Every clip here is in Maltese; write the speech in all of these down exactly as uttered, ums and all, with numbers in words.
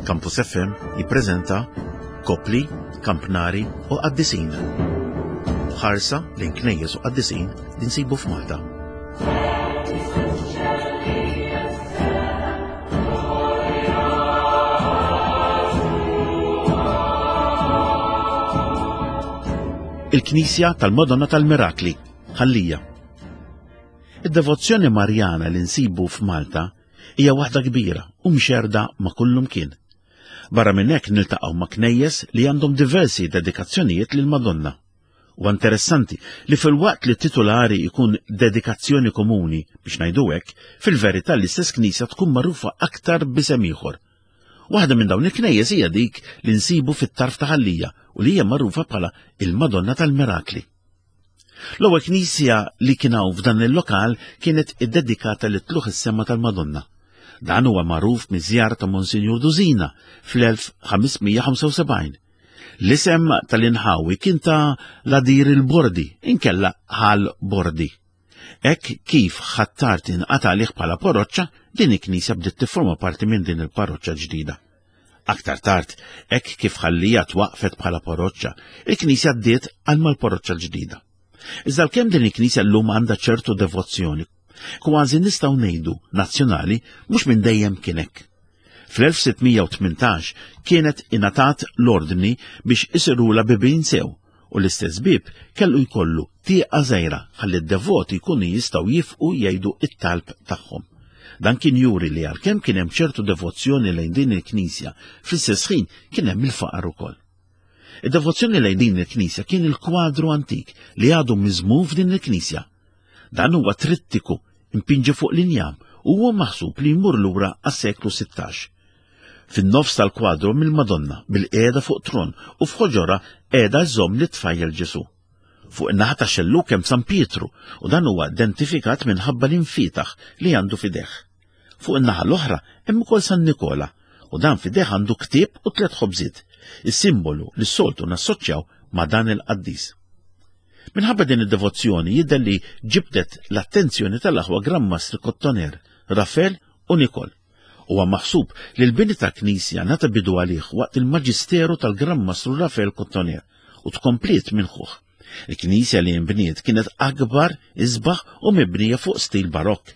Campus F M jippreżenta Kopli, Kampnari u Qaddisin. Ħarsa lejn knejjes u qaddisin li nsibu f'Malta. Il-Knisja tal-Madonna tal-Mirakli, Ħal Lija. Id-devozzjoni Marjana li nsibu f'Malta hija waħda kbira u mxerda ma' kullum kien. Barra minn hekk niltaqgħu ma' knejjes li għandhom diversi dedikazzjonijiet lil Madonna. Huwa interessanti li fil-waqt li titulari jkun dedikazzjoni komuni biex ngħidu hekk, fil-verità l-istess knisja tkun magħrufa aktar b'isem ieħor. Waħda minn dawn il-knejjes hija dik li nsibu fit-tarf ta' Ħal Lija u li hija magħrufa bħala il-Madonna tal-Mirakli. L-ewwel knisja li kien hawn f'dan il-lokal kienet iddedikata lit tluħ is-sema tal-Madonna. Dan huwa magħruf miż-żjara ta' Monsinjur Dusina fl-elf ħames mija ħamsa u sebgħin. L-isem tal-inħawi kien ta' Ladir il-Bordi, inkella Ħal Bordi. Hekk kif Ħ'Attard inqata' għalih bħala parroċċa, din il-knisja bdiet tifforma parti minn din il-parroċċa ġdida. Aktar tard, hekk kif Ħal Lija twaqfet bħala parroċċa, il-knisja ddiet għal mal-parroċċa l-ġdida. Iżda għalkemm din il-knisja llum għandha ċertu devozzjoni, kważi nistgħu ngħidu nazzjonali mhux minn dejjem kien hekk. Fl-elf sitt mija u tmintax kienet ingħatat l-ordni biex isirula bibien sew u l-istess bib kellu jkollu tieqa żgħira ħalli d-devoti jkunu jistgħu jifqu jgħidu it-talb tagħhom. Dan kien juri li għalkemm kien hemm ċertu devozzjoni lejn din il-knisja, fl-istess ħin kien hemm il-faqar ukoll. Id-devozzjoni lejn din il-knisja kien il-kwadru antik li għadu miżmum f'din il-knisja. Dan huwa trittiku impinġi fuq l-injam u huwa maħsub li jmur lura għas-seklu sittax. Fin-nofs tal-kwadru mill-Madonna bil-qiegħda fuq tron u f'ħoġorha qiegħda żomm li tfajjel Ġesu. Fuq in-naħa ta' xellug hemm San Pietru u dan huwa identifikat minħabba l-infitaħ li għandu f'ideh. Fuq in-naħa l-oħra hemm ukoll San Nikola u dan f'ideh għandu ktieb u tliet ħobżiet, is-simbolu li s-soltu nassoċjaw ma' dan il-qaddis. Minħabba din id-devozzjoni jidher li ġibdet l-attenzjoni tal-aħwa Gran Mastri Kottoner, Rafael u Nikol. Huwa maħsub li l-bini ta' knisja ngħata bidu għalih waqt il-Maġisteru tal-Gran Mastru Rafael Kottoner u tkompliet minn ħuh. Il-knisja li nbniet kienet akbar, isbaħ u mibnija fuq stil barokk.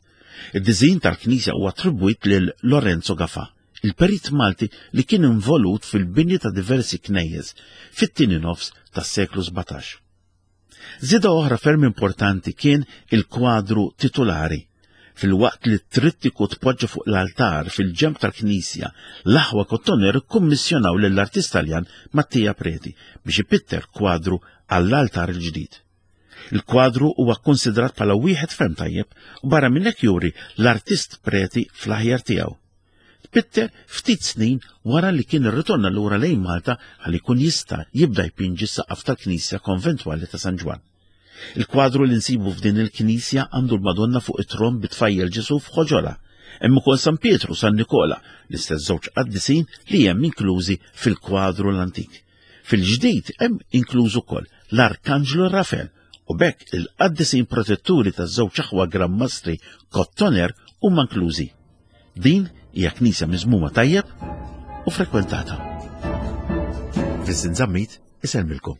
Id-diżin tal-knisja huwa attribwit lil Lorenzo Gafà, il-perit Malti li kien involut fil-bini ta' diversi knejjes fit-tieni nofs tas-seklu sbatax. Żieda oħra ferm importanti kien il-kwadru titulari. Fil-waqt li t-trittiku tpoġġa fuq l-altar fil-ġenb tal-knisja, l-aħwa Kottoner kkummissjonaw lill-artist Taljan Mattia Preti biex ipitter kwadru għall-altar il-ġdid. Il-kwadru huwa kkonsidrat bħala wieħed ferm tajjeb u barra minn hekk juri l-artist Preti fl-aħjar tiegħu. Tpitter ftit snin wara li kien irritorna lura lejn Malta ħalli jkun jista' jibda jpinġi s-saqaf tal-Knisja Konventwali ta' San Ġwann. Il-kwadru li nsibu f'din il-knisja għandu l-Madonna fuq it-tron bit-tfajjel Ġesu f'ħoġorha. Hemm ukoll San Pietru, San Nikola, l-istess żewġ qaddisin li hemm inklużi fil-kwadru l-antik. Fil-ġdid hemm inkluż ukoll l-Arkanġlu Rafael u b'hekk il-qaddisin protetturi taż-żewġ aħwa Gran Mastri Kottoner huma inklużi. Din hija knisja miżmuma tajjeb u frekwentata. Vincent Zammit isellmilkom.